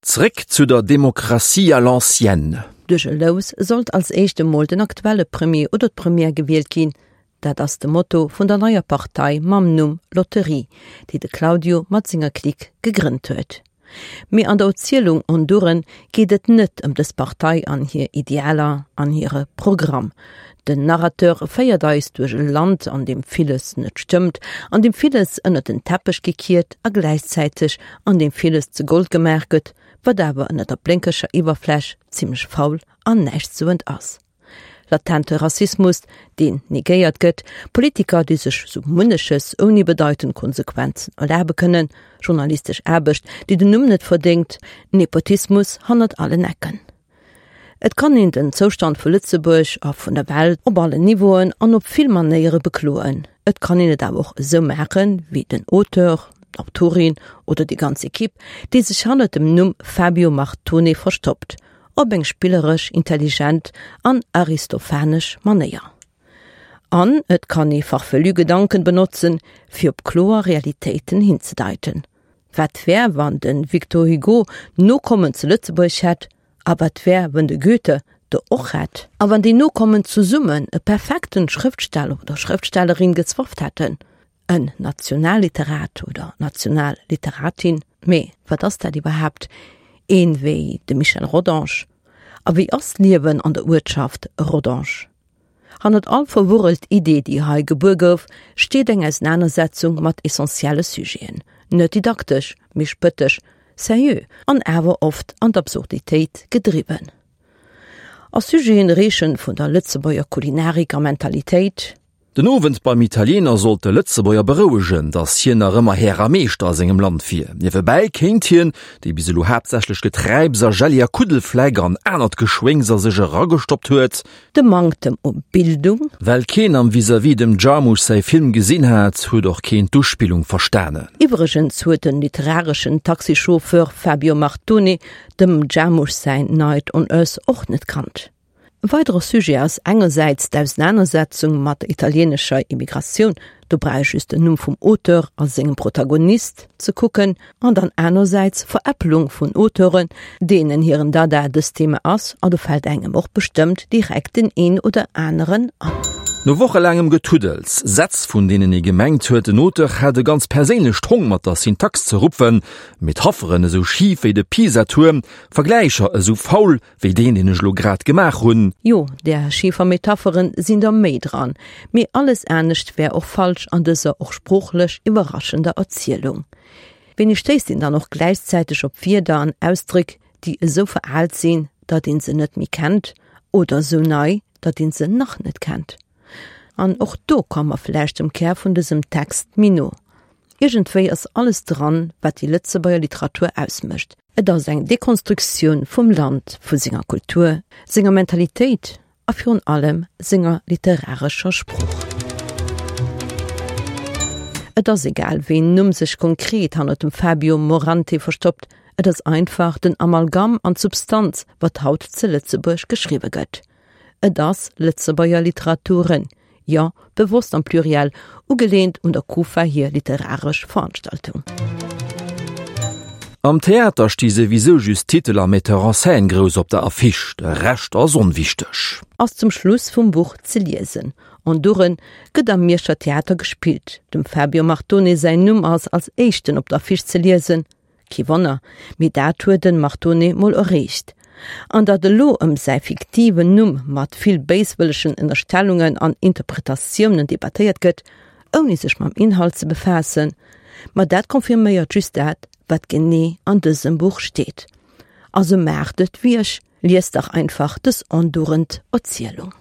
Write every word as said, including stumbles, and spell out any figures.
Zréck zu der Demokratie à l'ancienne. Duerch e Lous sollt als éischt emol den aktuelle Premier oder d'Première gewielt ginn. Dat ass de Motto vun der neier Partei mam Numm Lotterie, déi de Claudio mat senger Clique gegrënnt huet. Mee an der Erzielung Honduren geet et net ëm dës Partei an hir Idealer an hire Programm. Den Narrateur féiert eis duerch e Land, an deem villes net stëmmt, an deem villes ënnert den Teppech gekiert a gläichzäiteg an deem villes zu Gold gemaach gëtt, wat awer ënnert der blénkeger Iwwerfläch zimmlech faul an näischtsoend ass. Latente Rassismus, deen negéiert gëtt, Politiker, déi sech sou munneches ouni bedeitend Konsequenzen erlabe kënnen, journalistesch Aarbecht, déi den Numm net verdéngt, Nepotismus hannert allen Ecken. Et kann een den Zoustand vu Lëtzebuerg a vun der Welt op allen Niveauen an op vill Manéiere bekloen. Et kann een et awer och esou maachen, wéi den Auteur, d'Autorin oder déi ganz Ekipp, déi sech hannert dem Numm Fabio Martone verstoppt, op eng spilleresch, intelligent an aristophanesch Manéier. An et kann ee farfelu Gedanken benotzen, fir op kloer Realitéiten hinzedeiten. Wat wär, wann de Victor Hugo Nokommen zu Lëtzebuerg hätt? A wat wär, wann de Goethe der och hätt? A wann déi Nokommen zesummen e perfekten Schrëftsteller oder Schrëftstellerin gezwafft hätten? En Nationalliterat oder Nationalliteratin? Mee wat ass dat iwwerhaapt? Een wéi de Michel Rodange? A wéi ass d'Liewen an der Uertschaft Rodange? Hannert all verwurrelt Idee, déi hei gebuer gouf, steet eng Ausenanersetzung mat essentielle Sujeten. Net didaktesch, mee spëttesch, seriö an awer oft an d'Absurditéit gedriwwen. A Sujeten reeche vun der Lëtzebuerger Kulinarik a Mentalitéit, Den Owend beim Italiener sollt de Lëtzebuerger berouegen, datt hien nach ëmmer Här a Meeschter a sengem Land wier. Niewebäi kéint hien, dee bis elo haaptsächlech Geträips a Jelli a Kuddelfleck an anert Geschwéngs a sech eragestoppt huet, De Manktem u Bildung. Well keen am Vis-à-vis dem Jarmusch säi Film gesinn hat, huet och keen d'Uspillung verstanen. Iwwregens huet den literareschen Taxichauffeur Fabio Martone dem Jarmusch säin Night on Earth och net kannt. E weidere Sujet ass engersäits d'Ausenanersetzung mat der italieenescher Immigratioun, do brauch ee just den Numm vum Auteur a sengem Protagonist ze kucken, an dann anersäits Veräppelung vun Auteuren, deenen hiren Dada dëst Thema ass, a do fält engem och bestëmmt direkt den een oder aneren an. No wochelaangem Getuddels, Sätz vun deenen ee gemengt huet, den Auteur hätt e ganz perséinlecht Hong mat der Syntax ze rupfen, Metapheren esou schif wéi de Pisa-Tuerm, Vergläicher esou faul wéi deen, deen ech elo grad gemaach hunn. Jo, där schifer Metapheren sinn der méi dran, mee alles anescht wär och falsch an dëser och sproochlech iwwerraschender Erzielung. Wéini stéisst een dann och gläichzäiteg op Wierder an Ausdréck, déi esou veraalt sinn, datt een se net méi kennt, oder esou nei, datt een se nach net kennt? An och do komme mer vläicht dem Kär vun dësem Text méi no. Iergendwéi ass alles dran, wat déi Lëtzebuerger Literatur ausmécht. Et ass eng Dekonstruktioun vum Land, vu senger Kultur, senger Mentalitéit a virun allem senger literarescher Sprooch. Et ass egal, wéi een Numm sech konkret hannert dem Fabio Morante verstoppt, et ass einfach den Amalgam an d'Substanz, wat haut zu Lëtzebuerg geschriwwe gëtt. Et ass Lëtzebuerger Literaturen, jo, bewosst am Pluriel, ugeleent un der Kufa hir literaresch Veranstaltung. Am Theater sti souwisou just Titel a Metteur en scène grouss op der Affiche, de Rescht ass onwichteg. Ass zum Schluss vum Buch ze liesen. Honduren gëtt am Mierscher Theater gespillt. Dem Fabio Martone säin Numm ass als éischten op der Affiche ze liesen. Kee Wonner, mee dat huet den Martone mol erreecht. An datt elo ëm säi fiktiven Numm mat vill béiswëllegen Ënnerstellungen an Interpretatiounen debattéiert gëtt, ouni sech mam Inhalt ze befaassen, ma dat confirméiert just dat, wat genee an dësem Buch steet. Also maacht et wéi ech, liest dach einfach dës andauernd Erzielung.